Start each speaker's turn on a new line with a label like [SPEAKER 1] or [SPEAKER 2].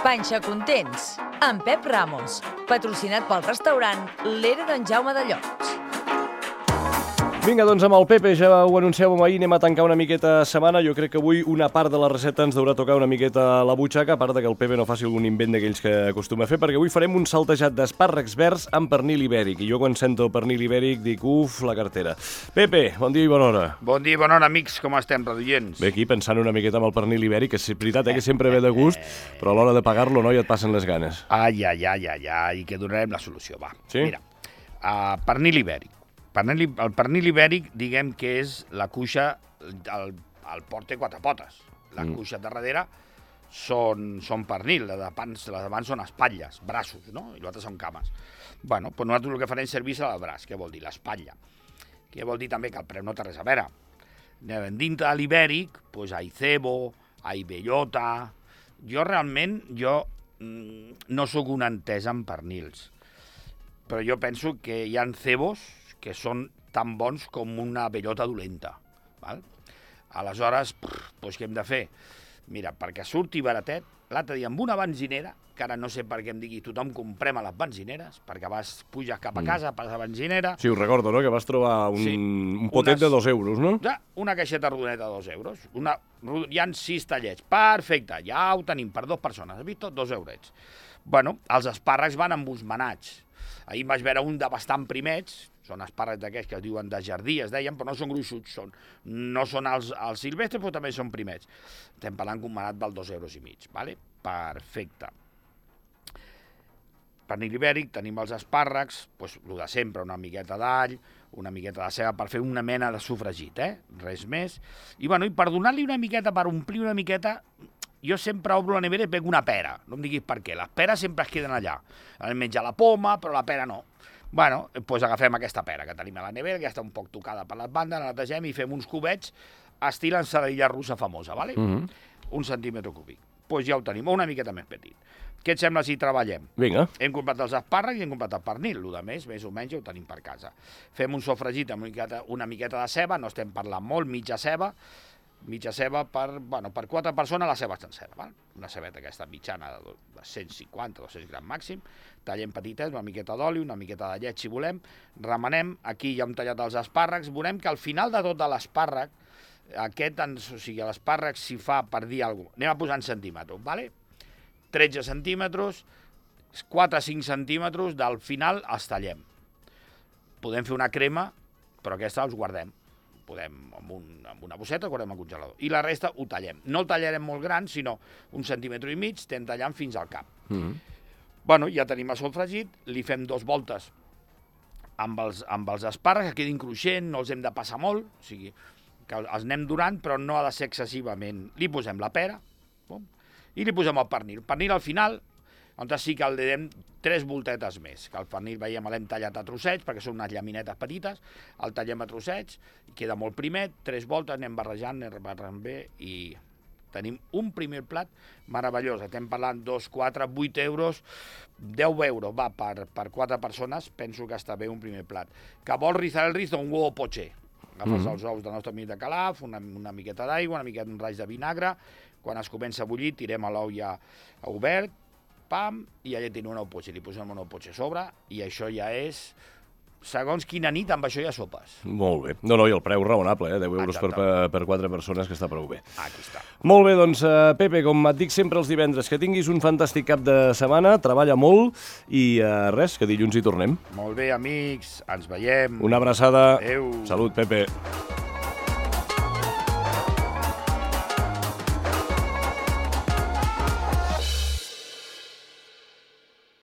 [SPEAKER 1] Panxa Contents, amb Pep Ramos, patrocinat pel restaurant L'Era d'en Jaume de Llots.
[SPEAKER 2] Vinga, doncs amb el Pepe, ja ho anunciàvem ahir, anem a tancar una miqueta setmana. Jo crec que avui una part de la recepta ens deurà tocar una miqueta la butxaca, a part que el Pepe no faci algun invent d'aquells que acostuma a fer, perquè avui farem un saltejat d'espàrrecs verds amb pernil ibèric. I jo quan sento pernil ibèric dic, uf, la cartera. Pepe, bon dia i bona hora.
[SPEAKER 3] Bon dia i bona hora, amics, com estem, radioients?
[SPEAKER 2] Bé, aquí pensant una miqueta amb el pernil ibèric, que és veritat que sempre ve de gust, però a l'hora de pagar-lo, no, ja et passen les ganes.
[SPEAKER 3] Ai, que donarem la solució, va.
[SPEAKER 2] Sí?
[SPEAKER 3] Mira, pernil ibèric. El pernil ibèric, diguem que és la cuixa, el porc té quatre potes. La cuixa de darrere són pernil, les d'abans són espatlles, braços, no? I l'altre són cames. Bueno, doncs nosaltres el que farem és servir-se al braç. Què vol dir? L'espatlla. Què vol dir també que el preu no té res a veure. Dintre de l'ibèric, doncs hi ha cebo, hi ha bellota. Jo realment, no sóc un entès en pernils, però jo penso que hi ha cebos que són tan bons com una bellota dolenta. Val? Aleshores, doncs què hem de fer? Mira, perquè surti baratet, l'altre dia amb una benzinera, que ara no sé per què em digui tothom comprem a les benzineres, perquè puges cap a casa, pas a benzinera...
[SPEAKER 2] Sí, ho recordo, no?, que vas trobar un potet de 2 euros, no?
[SPEAKER 3] Ja, una caixeta rodoneta de 2 euros. Hi ha 6 tallets. Perfecte, ja ho tenim per 2 persones. Has vist? 2 eurets. Bueno, els espàrrecs van embosmenats. Ahir vaig veure un de bastant primets, són espàrrecs d'aquests que es diuen de jardí, es deien, però no són gruixuts, no són els silvestres, però també són primets. Estem parlant d'un manat val 2,5 euros, vale? Perfecte. Pernil ibèric, tenim els espàrrecs, doncs el de sempre, una miqueta d'all, una miqueta de ceba per fer una mena de sofregit, res més. I per donar-li una miqueta, per omplir una miqueta, jo sempre obro la nevera i pego una pera, no em diguis per què, les peres sempre es queden allà. Hem menjat la poma, però la pera no. Bueno, doncs agafem aquesta pera que tenim a la nevera, que ja està un poc tocada per les bandes, la netegem i fem uns cubets estil ensaladilla russa famosa, ¿vale? 1 centímetre cúbic. Doncs ja ho tenim, o una miqueta més petit. Què et sembla si treballem?
[SPEAKER 2] Vinga.
[SPEAKER 3] Hem comprat els espàrrecs i hem comprat el pernil, el de més o menys ja ho tenim per casa. Fem un sofregit amb una miqueta de ceba, no estem parlant molt, mitja ceba per 4 persones, la ceba sencera, val? Una cebeta aquesta mitjana de 150-200 grams màxim, tallem petites, una miqueta d'oli, una miqueta de llet si volem, remenem, aquí ja hem tallat els espàrrecs, veurem que al final de tot l'espàrrec, l'espàrrec s'hi fa per dir alguna cosa, anem a posar en centímetres, vale? 13 centímetres, 4-5 centímetres, del final els tallem. Podem fer una crema, però aquesta els guardem. Podem, amb una bosseta, guardem al congelador. I la resta ho tallem. No el tallarem molt gran, sinó 1,5 centímetres, estem tallant fins al cap. Bueno, ja tenim el sofregit, li fem 2 voltes amb els espàrrecs, que quedin cruixent, no els hem de passar molt, o sigui, que els anem durant, però no ha de ser excessivament. Li posem la pera, i li posem el pernil. El pernil al final, on sí que el direm 3 voltetes més, que el pernil, veiem, l'hem tallat a trossets, perquè són unes llaminetes petites, el tallem a trossets, queda molt primet, 3 voltes, anem barrejant bé, i tenim un primer plat meravellós. Estem parlant 2, 4, 8 euros, 10 euros, va, per 4 persones, penso que està bé un primer plat. Que vols rizar el riz d'un huevo poché. Agafes els ous del nostre amic de Calaf, una miqueta d'aigua, una miqueta d'un raig de vinagre, quan es comença a bullir, tirem l'ou ja obert, pam, i allà tenim un ou potxer, li posem un ou potxer a sobre, i això ja és, segons quina nit, amb això ja sopes.
[SPEAKER 2] Molt bé. No, i el preu raonable, 10 euros per 4 persones, que està prou bé.
[SPEAKER 3] Aquí està.
[SPEAKER 2] Molt bé, doncs, Pepe, com et dic sempre els divendres, que tinguis un fantàstic cap de setmana, treballa molt, i res, que dilluns hi tornem.
[SPEAKER 3] Molt bé, amics, ens veiem.
[SPEAKER 2] Una abraçada.
[SPEAKER 3] Adéu.
[SPEAKER 2] Salut, Pepe.